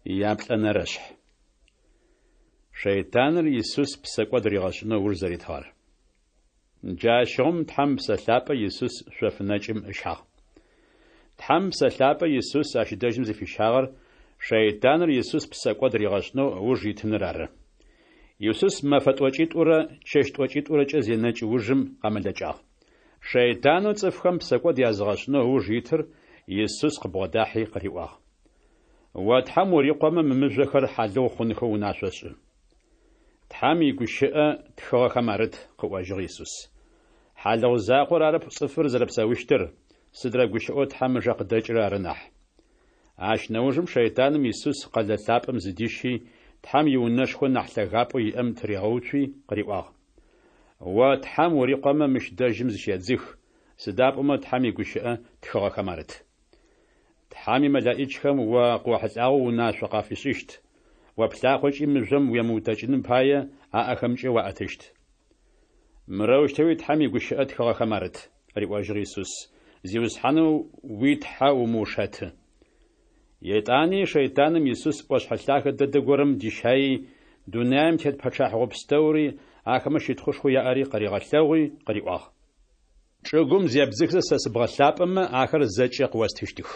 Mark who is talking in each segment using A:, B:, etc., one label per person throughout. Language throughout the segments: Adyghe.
A: Яплӏэнэрэшъхь. Шэйтаныр Исус псэкӏод ригъэшӏынэу ыуж зэритыгъэр. Джащыгъум Тхьэм Псэ Лъапӏэ Исус шъоф нэкӏым ыщагъ. Тхьэм Псэ Лъапӏэ Исус ащ дэжьым зыфищагъэр шэйтаныр Исус псэкӏод ригъэшӏынэу ыуж итыныр ары. Исус мэфэ тӏокӏитӏурэ чэщ тӏокӏитӏурэкӏэ зенэкӏ ужым къэмэлэкӏагъ. Шэйтанэу цӏыфхэм псэкӏод языгъэшӏынэу ыуж итыр Исус къыбгъодахьи къыриӏуагъ. О Тхьэм урикъомэ мы мыжъохэр хьалыгъу хъунхэу унашъо шӏы. Тхьэм игущыӏэ тхыгъэхэм арыт, къыӏожьыгъ Исус. Хьалыгъу закъор арэп цӏыфыр зэрэпсэущтыр, сыдрэ гущыӏэу Тхьэм ыжэ къыдэкӏырэр ары нахь. Ащ нэужым шэйтаным Исус къэлэ лъапӏэм зыдищи, Тхьэм иунэшхо нахь лъэгапӏэу иӏэм тыригъэуцуи къыриӏуагъ. О Тхьэм урикъомэ мыщ дэжьым зыщедзых, сыда пӏомэ Тхьэм игущыӏэ тхыгъэхэм арыт. Тхьэм имэлэӏичхэм о къыохьылӏагъэу унашъо къафишӏыщт, о плъакъокӏи мыжъом уемыутэкӏыным пае аӏэхэмкӏэ уаӏэтыщт. Мырэущтэуи Тхьэм игущыӏэ тхыгъэхэм арыт, риӏожьыгъ Исус, Зиусхьанэу уи Тхьэ умыушэты. Етӏани шэйтаным Исус ӏошъхьэ лъагэ дэдэ горэм дищаий, дунаим тет пэчъахьыгъо пстэури, ахэмэ щытхъушхоу яӏэри къыригъэлъэгъуи къыриӏуагъ. Чӏыгум зебдзыхзэ сэ сыбгъэлъапӏэмэ, ахэр зэкӏэ къыостыщтых.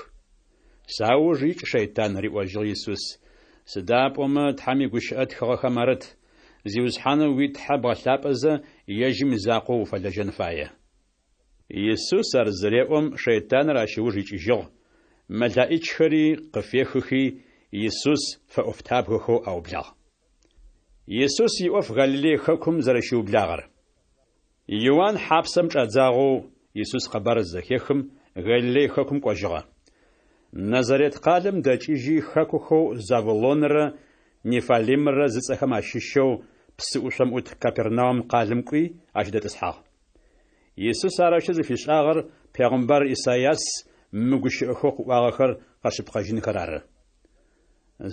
A: Сауж икӏ, шэйтан, риӏожьыгъ Исус, сыда пӏомэ Тхьэм игущыӏэ тхыгъэхэм арыт, Зиусхьанэу уи Тхьэ бгъэлъапӏэзэ, ежьым изакъоу уфэлэжьэн фае. Исус ар зыреӏом, шэйтаныр ащ ыуж икӏыжьыгъ, мэлаӏичхэри къыфехыхи, Исус фэӏофтабгэхэу аублагъ. Исус иӏоф Галилей хэкум зэрэщиублагъэр. Иуан хьапсэм чӏадзагъэу Исус къэбар зызэхехым, Галилей хэкум кӏожьыгъэ. Назарет къалэм дэкӏыжьи, хэкухэу Завулонрэ Неффалимрэ зыцӏэхэм ащыщэу псы ӏушъом ӏут Капернаум къалэм кӏуи, ащ дэтӏысхьагъ. Исус арэущтэу зыфишӏагъэр пегъымбар Исайас мы гущыӏэхэу къыӏуагъэхэр къэшъыпкъэжьынхэр ары.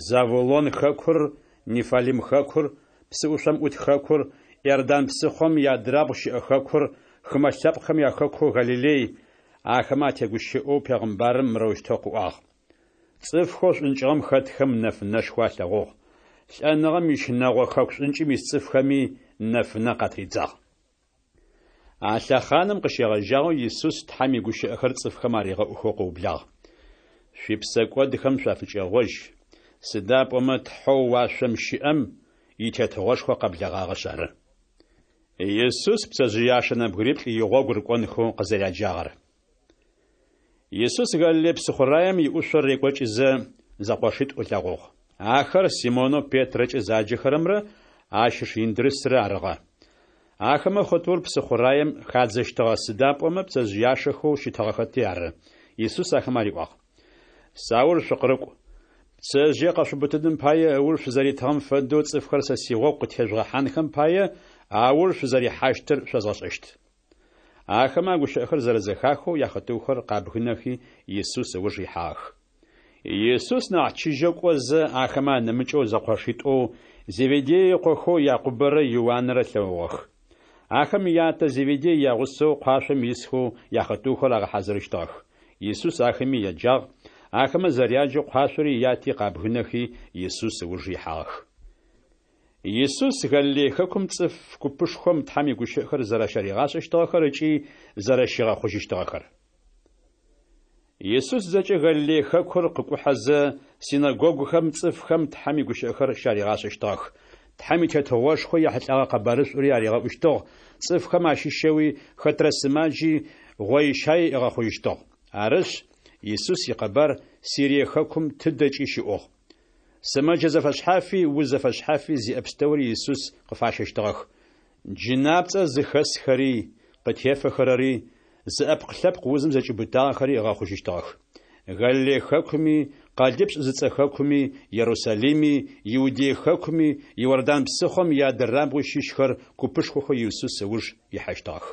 A: Завулон хэкур, Неффалим хэкур, псы ӏушъом ӏут хэкур, Иордан псыхъом иадрабгъу щыӏэ хэкур, хымэ лъэпкъхэм яхэкоу Галилей, ахэмэ атегущыӏэу пегъымбарым мырэущтэу къыӏуагъ. Цӏыфхэу шӏункӏыгъэм хэтхэм нэфынэшхо алъэгъугъ, лӏэныгъэм ищынэгъо хэку шӏункӏым ис цӏыфхэми нэфынэ къатридзагъ. А лъэхъаным къыщегъэжьагъэу Исус Тхьэм игущыӏэхэр цӏыфхэм аригъэӏухэу къыублагъ. Шъуипсэкӏодхэм шъуафыкӏэгъожь, сыда пӏомэ Тхьэу уашъом щыӏэм и Тетыгъошхо къэблэгъагъэшъ ары. Исус пцэжъыяшэ нэбгыриплӏ игъогу рыкӏонхэу къызэряджагъэр. Исус Галилей псыхъураем иӏушъо рекӏокӏызэ, зэкъошитӏу ылъэгъугъ. Ахэр Симонэу Петрэкӏэ заджэхэрэмрэ ащ ыш Индрысрэ арыгъэ. Ахэмэ хъытыур псыхъураем хадзэщтыгъэ, сыда пӏомэ пцэжъыяшэхэу щытыгъэхэти ары. Исус ахэмэ ариӏуагъ. Сауж шъукъырыкӏу. Пцэжъые къэшъуубытыным пае ыуж шъузэритыгъэм фэдэу цӏыфхэр сэ сигъогу къытежъугъэхьанхэм пае ауж шъузэрихьащтыр шъозгъэшӏэщт. Ахэмэ а гущыӏэхэр зэрэзэхахэу яхъытыухэр къабгынэхи, Исус ыуж ихьагъэх. Исус нахь чыжьэу кӏозэ, ахэмэ анэмыкӏэу зэкъошитӏоу Зеведей ыкъохэу Якъубэрэ Иуанрэ ылъэгъугъэх. Ахэм ятэ Зеведей ягъусэу къуашъом исхэу яхъытыухэр агъэхьазырыщтыгъэх. Исус ахэми яджагъ, ахэмэ зэряджэу къуашъори яти къабгынэхи, Исус ыуж ихьагъэх. Исус Галилей хэкум цӏыф купышхом Тхьэм игущыӏэхэр зэрэщаригъашӏэщтыгъэхэр ыкӏи зэрэщигъэхъужьыщтыгъэхэр. Исус зэкӏэ Галилей хэкур къыкӏухьэзэ, синэгогухэм цӏыфхэм Тхьэм игущыӏэхэр щаригъашӏэщтыгъэх. Тхьэм и Тетыгъошхо ехьылӏэгъэ къэбарышӏури аригъэӏущтыгъ, цӏыфхэм ащыщэуи хэтрэ сымаджи гъоищай ыгъэхъужьыщтыгъ. Арышъ, Исус икъэбар Сирие хэкум тыдэкӏи щыӏугъ. Сымэджэ зэфэшъхьафи, уз зэфэшъхьафи зиӏэ пстэури Исус къыфащэщтыгъэх. Джынапцӏэ зыхэсхэри, къытефэхэрэри, зыӏэпкъ-лъэпкъ узым зэкӏиубытагъэхэри ыгъэхъужьыщтыгъэх. Галилей хэкуми, Къэлипшӏ зыцӏэ хэкуми, Ерусалими, Иудей хэкуми, Иордан псыхъом иадырабгъуи щыщхэр купышхохэу Исус ыуж ихьащтыгъэх.